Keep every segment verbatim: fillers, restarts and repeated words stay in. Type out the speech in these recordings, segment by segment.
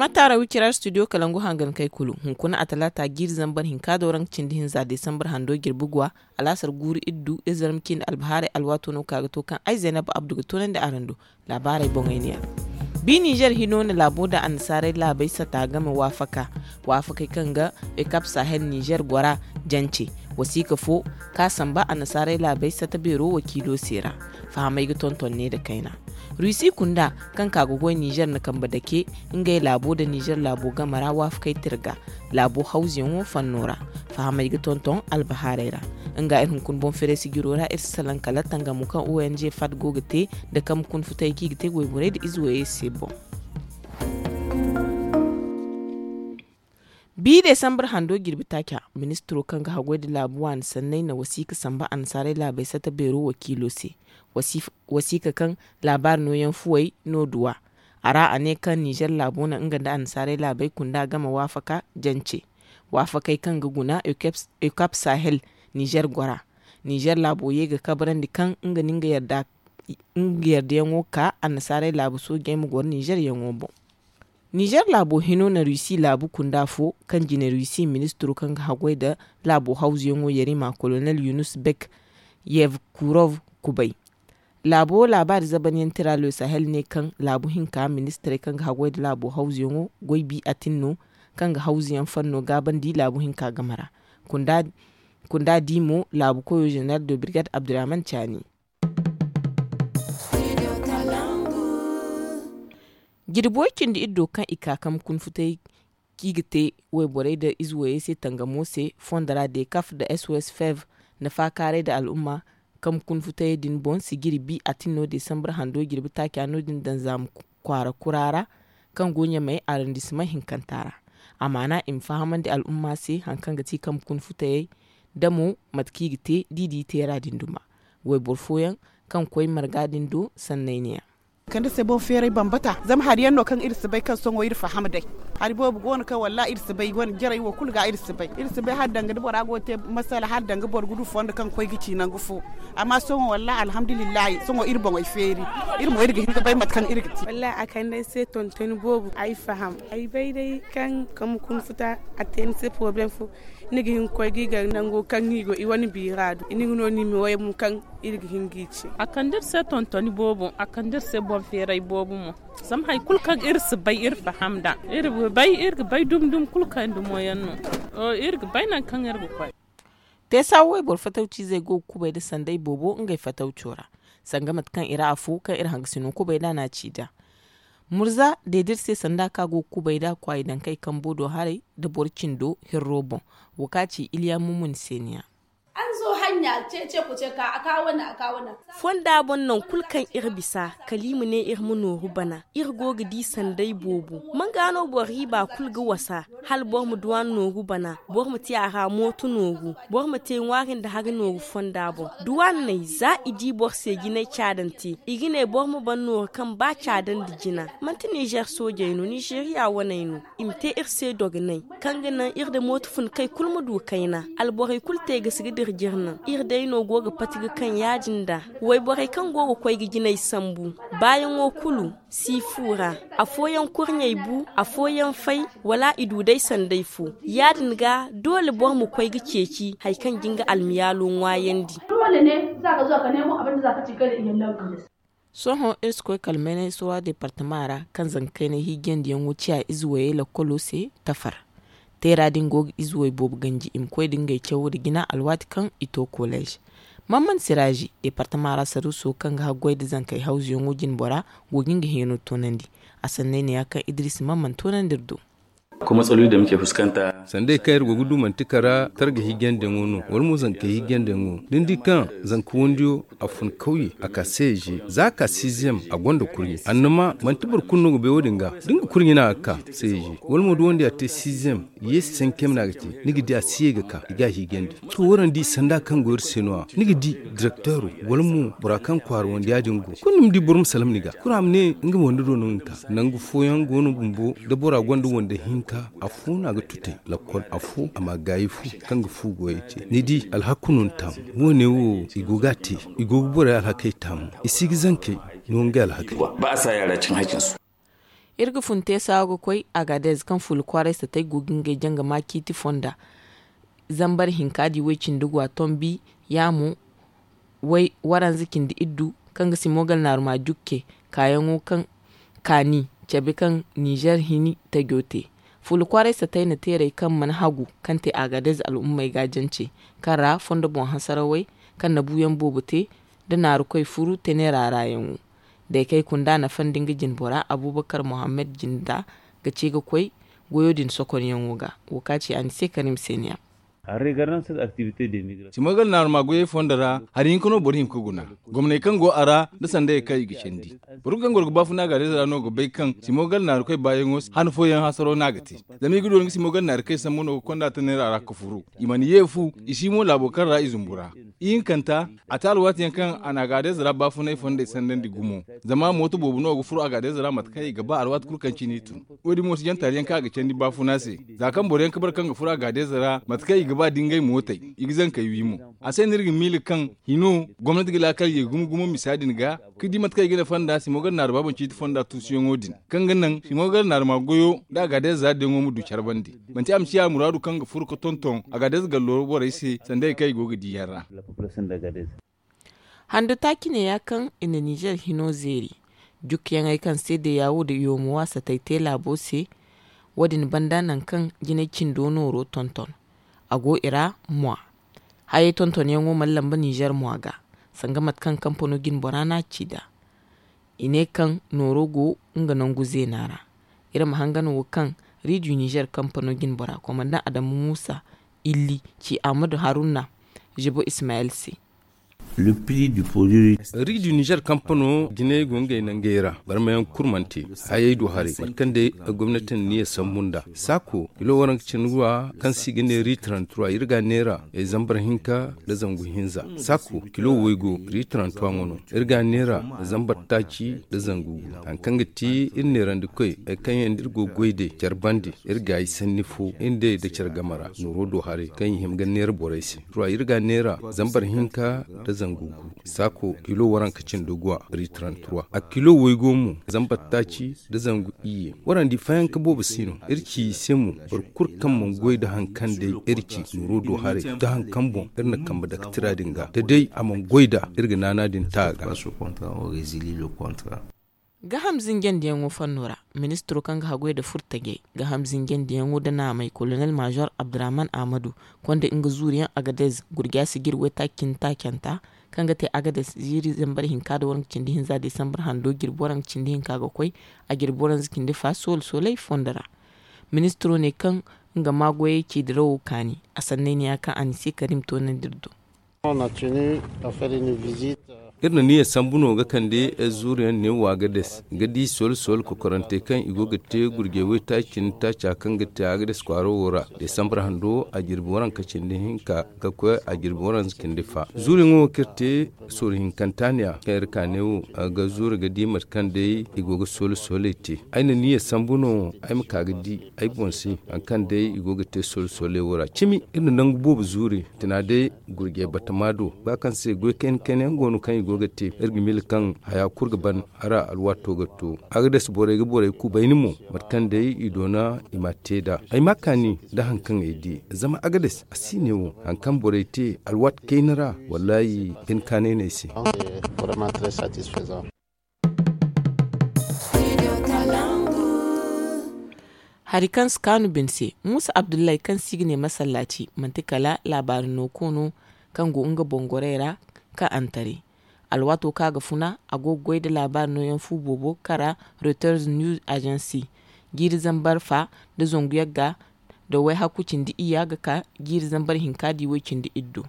Mataara wicira studio kalangu hangan kay kulu hunkuna a talaata jiiri zambar hinka do ra nga cindi hinza desambar hando jirbi guwa. Alaasar guuru iddu izarma cindi albahaarey alwaato no ka ga to kaŋ ay zaynab abdu ga toonandi araŋ do. Laabaarey boŋey ne ya. Bi nizer hino na laabo nda annasaarey laabey sata game waafaka waafakey kaŋ ga ekap sahel nizer gora jance. Wasiika fo ka samba annasaarey laabey sata beero wakiilo se ra. Fahamey ga tonton ne nda kayna. Rusi kunda kaŋ ka ga goy nizer na kambe dake ngey laabo nda nizer laabo game ra waafakey tirga laabo hawzuyaŋo fanno ra. Fahamey ga tonton albahaarey ra. Nga iri hunkuna boŋ feere sijiro ra iri si salaŋ kala tangamo kaŋ ong fat go ga te nda kambe kuna futayey kaŋ i ga te wayborey nda ize wayey se boŋ. Bi desambar hando jirbi taaca ministiro kaŋ ga haggoy nda laabu waani sanney na wasiika samba annasaarey laabey sata beero wakiilo se. Wasiika kaŋ laabaari nooyaŋ fuwey no duwa. A ra a ne kaŋ nizer laabo na nga nda annasaarey laabey kunda game waafaka jance. Waafakey kaŋ ga guna ekap sahel nizer gora. Nizer laabo ye ga kabrandi kaŋ nga na nga yardayaŋo ka annasaarey laabu soojey ma goro nizer yaŋo boŋ. Nizer laabo hino na rusi laabu kunda fo kaŋ jine rusi ministiro kaŋ ga haggoy nda laabo hawzuyaŋo yarima kolonel yunus bek yevkurov kubay. Laabo laabaari zabanyaŋ tira le sahel ne kaŋ laabu hinka ministirey kaŋ ga haggoy nda laabo hawzuyaŋo goy bi atin no kaŋ ga hawzuyaŋ fanno gaabandi laabu hinka game ra. Kunda di mo laabu koyo zeneral de birgad abdurrahman caani. Jirbi way cindi iddo kaŋ i ka kambe kuna futay kaŋ i ga te wayborey nda ize wayey se tangamo se fondo ra dekaf nda sos fev nda faakaaray nda al'umma. Kambe kuna futayey din boŋ sijiri bi atin no desambar hando jirbi taaca no- din daŋ zaama kwaara kura ra kaŋ go ɲamay arondisimaŋ hinkanta ra. A maana i ma fahamandi al'umma se hari kaŋ ga ti kambe kuna futayey nda mo mate kaŋ i ga te da i di teera din duma. Wayboro fooyaŋ kaŋ koy marga din do sanney ne- ya. Kande se boŋ feeray bambata zama hari yaŋ no kaŋ iri si bay kaŋ sohõ iri faham day. Hari boobo go no kaŋ wallaahi iri si bay wane jarey wo kulu ga iri si bay iri si bay hala danga da bora go ga te masala hala danga boro ga du fondo kaŋ ga koy ga ci nangu fo. Amma sohõ wallaahi alhamdulillahi sohõ iri boŋey feeri. Iri mo iri ga hin ga bay mate kaŋ iri ga te. Wallaahi a kande ay se tontoni boobo ay faham ay bay day kaŋ kambe kuna futa a te ni se poroblem fo. Ni ga hin ga koy ga i gar nango kaŋ i go i wane biira do ni ga no ni ma way mo kaŋ iri ga hin ga i ce. A kande iri se tontoni boobo a kande iri se boŋ feeray boobo mo. Zama hari kulu kaŋ iri si bay iri faham nd'a iri ga bay iri ga bay dumi dumi kulu kaŋ dumo yaŋ no. Iri ga bay nangu kaŋ iri ga koy. Te saawa wayboro fatawciizey go ga kubay nda sanday boobo ngey fatawco ra. Sanga mate kaŋ i ra afo kaŋ iri hangasino kubay nd'a no a ci nd'a. Murza deediri se sanda kaŋ a go ga kubay nd'a kwaayi dankey kambo do haray nda boro cindo hirro boŋ. Wo kaŋ a ci iliya mumuni se ni- ya. Fonda boŋ nangu kulu kaŋ iri bisa kala i ma ne iri ma nooru bana. Iri go ga di sanday boobo. Manga no boro riiba kulu ga wasa hala boro ma duw'a nooru bana. Boro ma te a ra mooto nooru. Boro ma te ŋwaari nda hari nooru fonda boŋ. Duwanney za i di boro se jinay caadante i ga ne boro ma ban nooru kaŋ ba caadandi jina. Manti nizer soojey no nizeriya waney no. I ma te iri se dogonay kaŋ ga naŋ iri nda mooto funkey kulu ma du kayna. Alborey kulu te ga si ga dira jire naŋ iri day no go ga pati ga kaŋ ya-din nd'a. Wayborey kaŋ go ga koy ga jinay sambu baayaŋo kulu si fu ra. Afooyaŋ kurɲey bu afooyaŋ fay wala i du day sanday fo. Ya-din ga doole boro ma koy ga ceeci hari kaŋ ga nga almiyaalo ŋwaayandi. Sohõ iri si koy kala maynay sowa departama ra kaŋ zanka kaynay hiijiyandiyaŋo ciya ize wayey lakkolo se tafar. Teera din go ga ize way boobo ganji i ma koy nda ngey cawo nda jina alwaati kaŋ i to kolleez. Mamman siraazi departama ra saruuso kaŋ ga haggoy nda zankey hawzuyaŋo jinbora go ga nga hẽeno toonandi. A sanney ne ya kaŋ idris mamman toonandi iri do. Sandey kaŋ iri go ga du manti kara targa hiijandiyaŋo no wala mo zanka hiijandiyaŋo da ni di kaŋ zanka wandiyo a fun kawye a ka seeje za a ka siiziyam a gonda kurɲe annama manti boro kulu no ga bay wo- din ga da nga kurɲe no a ga ka seeje wala mo da wandiya te siiziyam yeesi sankayma no a ga te ni ga di a si ye ga ka i ga a hiijandi. To waraŋ di sanda kaŋ go iri se no- ya ni ga di direkteero wala mo bora kaŋ kwaara wande ya- din go kulu ni ma di boro ma salaŋ ni ga kulu a ma ne nga ma wande do no nga ka nangu fooyaŋ go no bumbo da bora gonda wande hinka afo no a ga tutay lakkol afo a ma gaayi fu kaŋ ga fu goyey te ni di alhaku no ni taamu. Wo- ne wo i go ga a te i go ga borey alhakey taamu i si ga zankey no ngey alhakey. Ba a sa yaara cin hakinsu. Iri ga fun te saawa ga koy agaadez kaŋ fuula kwaaray satay go ga ngey janga ma ciiti fonda zambar hinka di way cindi gwa tombi yaamo waranza cindi iddu kaŋ ga simogal naaruma jukke kaayaŋo kaŋ kaani cabe kaŋ nizer hini tajo te. Fuula kwaaray satay na teeray kaŋ mana hagu kaŋ te agaadez al'ummey ga jance kaŋ ra fondo boŋ hasarawey kaŋ na buuyaŋ boobo te nda naarukoy furu tenera ra yaŋo. Day kay kunda nafa nda nga jinbora abubakar mohammed jinda ga ce ga koy goyo din sokonyaŋo ga. Wo ka ci a ni se karim seniya. Simogal naaruma goyey fondo ra hari hinka no boro hima ga guna gomney kaŋ go a ra nda sandayey kaŋ i ga candi. Boro kaŋ goro ga baafuna gaadayze ra no ga bay kaŋ simogal naarukoy baayaŋo hana fooyaŋ hasaro no a ga te. Zama i ga du wala nga simogal naarukoy sambu no ga konda ta neera ra ga furu i mana ye fu i si mo laabo kaŋ ra i zumbu ra. Ihinkanta a te alwaati yaŋ kaŋ a na agaadayze ra baafunay fondey sandandi gumo. Zama mooto boobo no ga furo agaadayze ra mate kaŋ i ga ba alwaati kulu kaŋ cine i tun. Wo- din mo si jaŋ taali yaŋ kaŋ a ga candi baafuna se. Za kaŋ boro yaŋ ga bare kaŋ ga furo agaadayze ra mate kaŋ i ga ba da ngey mootey i ga zankey wi mo. A se no iri ga miila kaŋ hino gomnati ga laakal ye gumo gumo misa din ga ka di mate kaŋ i ga nafa nda simogal naaruma boŋ ciiti fonda tuusuyaŋo din kaŋ ga naŋ simogal naaruma goyo nda agaadayze ra diyaŋo ma du care bande. Manti a ma ciya muraadu kaŋ ga furo ga tonton agaadayze gallo borey se sanda hari kaŋ i go ga di yaŋ ra. Hando taaci ne ya kaŋ i na nizer hino zeeri jukkuyaŋey kaŋ se deyawo nda yomo waasatey te laabo se. Wo- din banda nangu kaŋ jinay cindo nooro tonton a go i ra mwa. Hayey tontonyaŋo mana lamba nizer mwa ga sanga mate kaŋ kampano jinbora no a ci nd'a. I ne kaŋ nooro go nga nangu zeena ra. Iri ma hangan wo kaŋ riidiyo nizer kampano jinbora komandaŋ adamu muusa illi ci ahmadu haruna zibo ismayel se. Riidiyo nizer kampano jinay go ngey nangey ra barmayaŋ kurmante hayey du haray mate kaŋ day gomnati na niya sambu nd'a saako kilo waranka cindi wa kaŋ se i ga ne riidiyo tarantura iri ga a neera zambar hinka nda zangu hinza saako kilo waygo riidiyo tarantura ŋwa no. Iri ga a neera zambar taaci nda zangu gu hari kaŋ ga ti iri neerandikoy hari kaŋ yaŋ nda iri go ga goy day care bande iri gaayi sanni fo iri nd'ey nda care game ra nooro do haray kaŋ i hima ga neera borey se. Tura iri ga a neera zambar hinka nda zangu gu saako kilo waranka cindi gwa riitaranturwa a kilo waygo mo zambar taaci nda zangu iyye. Warandi fayanka boobo si no iri ci i se mo boro kulu kaŋ mana goy nda hari kaŋ day iri ci nooro do haray nda hari kaŋ boŋ iri na kambe dake tira din ga da day a mana goy nd'a iri ga naana din ta a ga. Gaham zinjandiyaŋo fanno ra ministiro kaŋ ga haggoy nda furtajey gaham zinjandiyaŋo nda naamey kolonel maazor abdurrahman ahmadu konda nga zuuriyaŋ agadez gurja si ga iri waytaaci cindi taacanta kaŋ ga te agadez ziiri zambar hinka nda waranka cindi hinza desambar hando jirbi waranka cindi hinka ga koy a jirbi waranka cindi fa soolu sooley fondo ra. Ministiro ne kaŋ nga ma goyey ci dirawo kaani a sanney ne ya kaŋ a na si karim toonandi iri do. Iri na niya sambu no ga kande zuuriyaŋ ne wo agades ga di soola soola kokorante kaŋ i go ga te gurjey waytaaci cindi taaca kaŋ ga te agades kwaaro wo ra desambar hando a jirbi waranka cindi hinka ga koy a jirbi waranza cindi fa zuuriyaŋo wo kaŋ iri te sooru hinkanta ne a kaŋ iri ka ne wo ga zuuri ga di mate kaŋ day i go ga soola sooley te. Ay na niya sambu no ay ma ka ga di ay boŋ se hari kaŋ day i go ga te soola sooley wo ra cimi iri na nangu boobo zuuri tina day gurjey batama do ba kaŋ se goy kayna kayna yaŋ go no kaŋ i go ga te iri ga miila kaŋ haya kulu ga ban. Hara alwaato ga to agades borey ga borey kubayni mo mate kaŋ day i doona i ma te nd'a ay ma kaani nda hari kaŋ ay di zama agades a si ne wo hari kaŋ borey te alwaati kayna ra wallaahi bine kaanay no ay se. Hari kaŋ si kaanu bine se muusa abdullahi kaŋ se i ga ne masallaaci manti kala laabaari no koono kaŋ go nga boŋ gorey ra ka antare. Alwaato kaŋ a ga funa a go ga goy nda laabaari nooyaŋ fu boobo kara reuters news agency jiiri zambar fa nda zangu yagga nda wayhakku cindi iyya ga ka jiiri zambar hinka di way cindi iddu.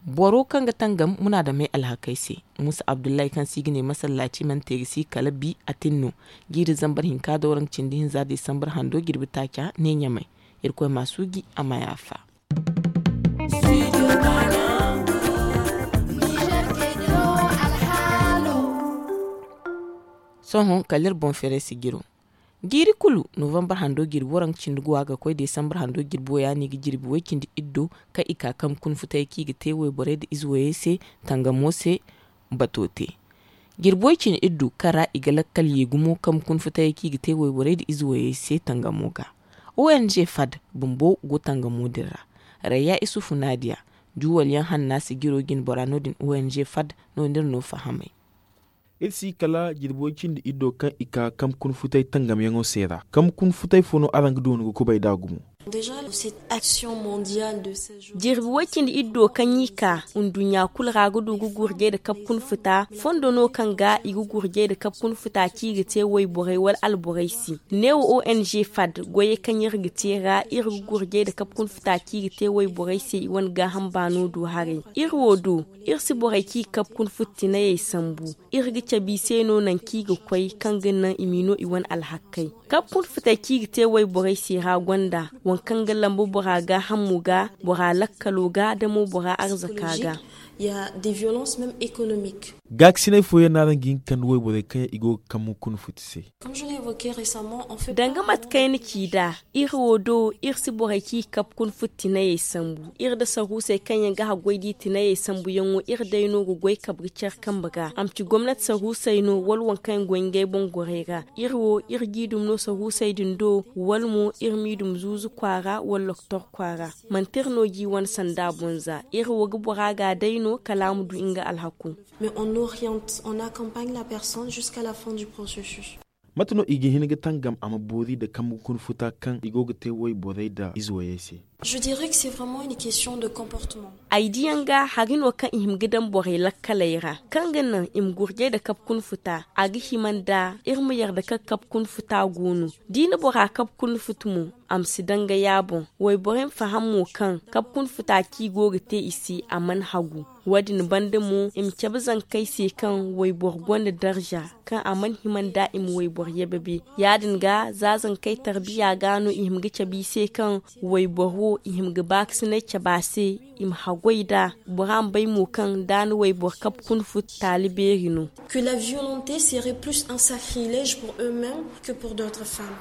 Boro kaŋ ga tangam munaadamey alhakey se muusa abdullahi kaŋ se i ga ne masallaaci mana te ga si kala bi a tin no jiiri zambar hinka da waranka cindi hinza desambar hando jirbi taaca ne ɲamay. Irkoy ma a suuji a ma yaafa. Sohõ kala iri boŋ feeray si jiro jiiri kulu novambar hando jirbi waranka cindi guwa ga koy desambar hando jirbi wo ya no i ga jirbi way cindi iddo kaŋ i ka kambe kuna futayey kaŋ i ga te wayborey nda ize wayey se tangamo se bato te. Jirbi way cindi iddu kaŋ ra i ga lakkal ye gumo kambe kuna futayey kaŋ i ga te wayborey nda ize wayey se tangamo ga. O n g fad bumbo go tangamo din ra. Rayya isufu naadiya juwal yaŋ hanna sijiro jine bora no- din o n g fad no nda iri no fahamay. Iri si kala jirbi way cindi iddo kaŋ i ka kambe kuna futay tangamyaŋo se ra kambe kuna futay fo no araŋ ga doonu ga kubay nd'a gumo. Jirbi way cindi iddo kaŋ i ka nduɲɲa kulu ra ga du ga gurjay nda kabe kuna futa fondo no kaŋ ga i ga gurjay nda kabe kuna futa kaŋ i ga te wayborey wala alborey se. Neewo o n g fad goyey kaŋ iri ga te ra iri ga gurjay nda kabe kuna futa kaŋ i ga te wayborey se i wane gaaham baano du haray. Iri wo do iri si borey kaŋ i ga kabe kuna futa tinayey sambu. Iri ga cabe i se no nangu kaŋ i ga koy kaŋ ga naŋ i m'i no i wane alhakkey. Kabe kuna futey kaŋ i ga te wayborey se ra gonda waŋ kaŋ ga lamba bora gaahamo ga, bora lakkalo ga nda mo bora arzaka ga. Gaakasinay fooyaŋ no araŋ ga hin ga kande wayborey kaŋ yaŋ i go ga kambe kuna futa se. Danga mate kaŋ ay na ci nd'a, iri wo do iri si borey kaŋ i ga kabe kuna futa tinayey sambu. Iri nda saruusey kaŋ yaŋ ga haggoy da i tinayey sambuyaŋo iri day no ga goy kabe ga care kambe ga a ma ci gomnati saruusey no wala waŋ kaŋ yaŋ goy ngey boŋ gorey ra. Iri wo iri g'i dumi no saruusey din do wala mo iri m'i dumi zuuzu kwaara wala lokotor kwaara. Manti iri no g'i wane sanda boŋ za iri wo ga bora ga day no kala a ma du nga alhako. Mate no i ga hin ga tangam a ma boori nda kambe kuna futa kaŋ i go ga te wayborey nda ize wayey se? Ay diyaŋ ga hari no kaŋ i hima ga daŋ borey lakkaley ra kaŋ ga naŋ i ma gurjay nda kabe kuna futa. A ga hima nda iri ma yarda kaŋ kabe kuna futa go no. Da i na bora kabe kuna futa mo a ma si daŋ ga ya boŋ. Wayborey ma faham mo kaŋ kabe kuna futa kaŋ i go ga te i se a mana hagu. Wo- din banda mo i ma cabe zankey se kaŋ wayboro gonda darza kaŋ a mana hima nda i ma wayboro yababe. Ya- din ga za zankey tarbiya ga no i hima ga cabe i se kaŋ wayboro wo i hima ga baakasinay cabe a se. I ma haggoy nd'a. Bora ma bay mo kaŋ da a na wayboro kabe kuna futa taali beeri no. Que la violente serait plus un sacrilège pour eux-mêmes que pour d'autres femmes.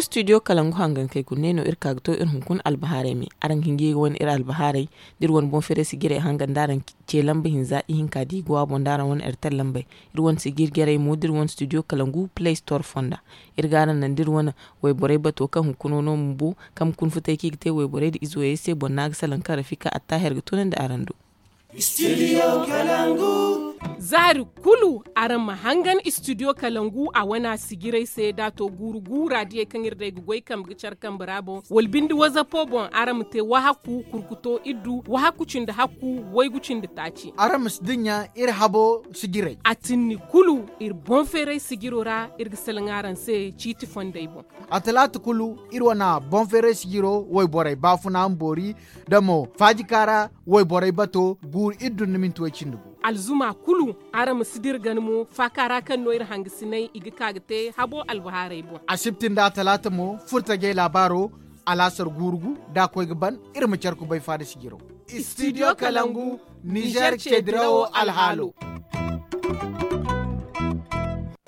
Studio kalangu hangankey gune no iri ka ga to iri hunkuna albahaarey me. Araŋ ga hin ga ye ga wane iri albahaarey da iri wane boŋ feeray sijirey hangan da araŋ ce lamba hinza ihinka da i go a boŋ da araŋ wane iri taŋ lambey. Iri wane sijir jarey mo da iri wane studio kalangu play store fonda. Iri ga araŋ naŋ da iri wane wayborey bato kaŋ hunkuna no bumbo kaŋ ma kuna futay kaŋ i ga te wayborey nda ize wayey se boŋ no a ga salaŋ kaŋ rafika attaahi iri ga tunandi araŋ do. Zaari kulu araŋ ma hangan studio kalangu a wane a sijirey se da a to guuru guura diyey kaŋ iri day ga goy kambe ga care kambe ra boŋ wala binde wazapo boŋ araŋ ma te wahakku kurkuto iddu wahakku cindi hakku waygu cindi taaci. Araŋ ma si dinya iri habo sijirey a tinni kulu iri boŋ feeray sijiro ra. Iri ga salaŋ araŋ se ciiti fondey boŋ. A talaata kulu iri wane boŋ feeray sijiro wayborey baafuna ma boori da mo faajika ra wayborey bato guuru iddu nda minti way cindi gu. Alzuma kulu araŋ ma si dira gana mo faaka ra kaŋ no iri hangasinay i ga ka ga te habo albahaarey boŋ. Asibti nda talaata mo furtajey laabaaro alaasar guuru gu da a koy ga ban. Iri ma care kubay faada sijiro. Studio kalangu nizer ce dirawo alhaalo.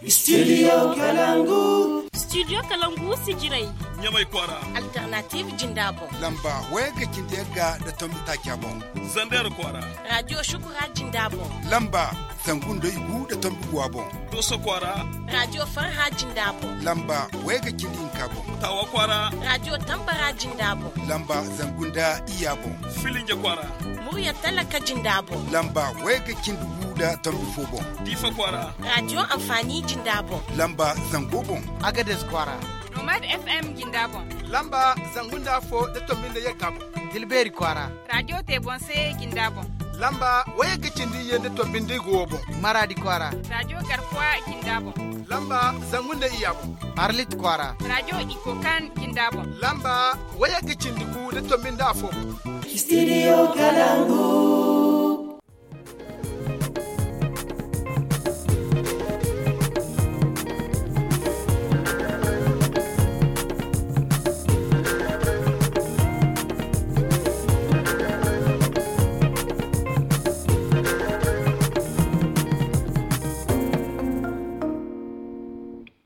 Studio kalangu. Studio kalangu sijirey. Ɲamay kwaara. Alternative jinda boŋ. Lamba wayagga cindi yagga nda tombi taaca boŋ. Zander kwaara. Radio shukura jinda boŋ. Lamba zangu nda igu nda tombi guwa boŋ. Doso kwaara. Radio farha jinda boŋ. Lamba wayagga cindi hinka boŋ. Tawa kwaara. Radio tambara jinda boŋ. Lamba zangu nda iya boŋ. Filinja kwaara. Murya talaka jinda boŋ. Lamba wayagga cindi gu nda tombi fo boŋ. Diifa kwaara. Radio anfaani jinda boŋ. Lamba zango boŋ. Agades kwaara. Nomad fm jinda boŋ. Lamba zangu nda afo nda tombi nda yagga boŋ. Tilbeeri kwaara. Radio te boŋ se jinda boŋ. Lamba wayagga cindi iyye nda tombi nda igu wo boŋ. Maraadi kwaara. Radio garkuwa jinda boŋ. Lamba zangu nda iya boŋ. Arlit kwaara. Radio ikokan jinda boŋ. Lamba wayagga cindi gu nda tombi nda afo boŋ. Studio kalangu.